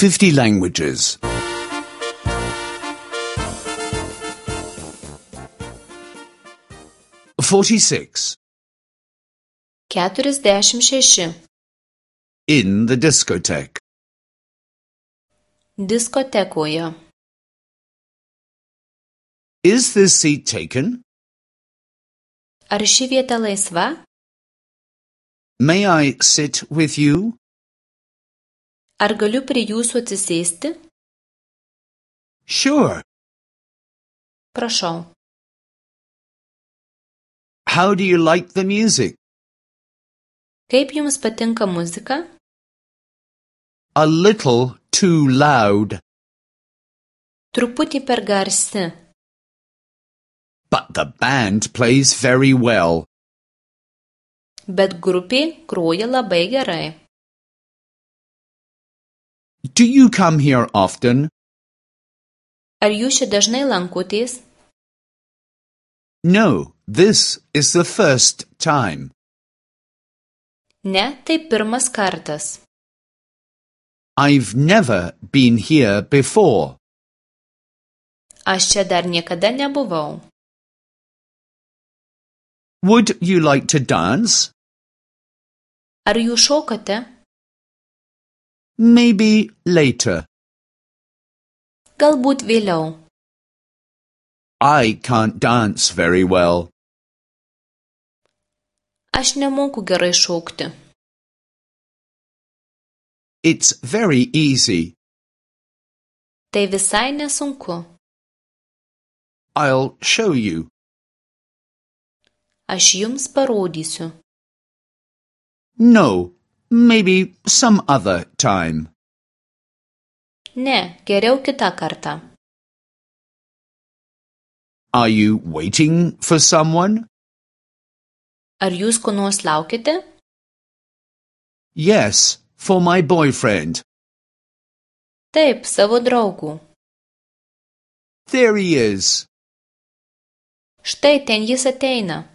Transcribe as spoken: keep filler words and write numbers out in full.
fifty languages. forty-six. Keturiasdešimt šeši. In the discotheque. Diskotekoje. Is this seat taken? Ar ši vieta laisva? May I sit with you? Ar galiu prie jūsų atsisėsti? Sure. Prašau. How do you like the music? Kaip jums patinka muzika? A little too loud. Truputį per garsi. But the band plays very well. Bet grupė groja labai gerai. Do you come here often? Ar jūs čia dažnai lankotės? No, this is the first time. Ne, tai pirmas kartas. I've never been here before. Aš čia dar niekada nebuvau. Would you like to dance? Ar jūs šokate? Maybe later. Galbūt vėliau. I can't dance very well. Aš nemoku gerai šokti. It's very easy. Tai visai nesunku. I'll show you. Aš jums parodysiu. No, maybe some other time. Ne, geriau kitą kartą. Are you waiting for someone? Ar jūs ko nors laukite? Yes, for my boyfriend. Taip, savo draugų. There he is. Štai ten jis ateina.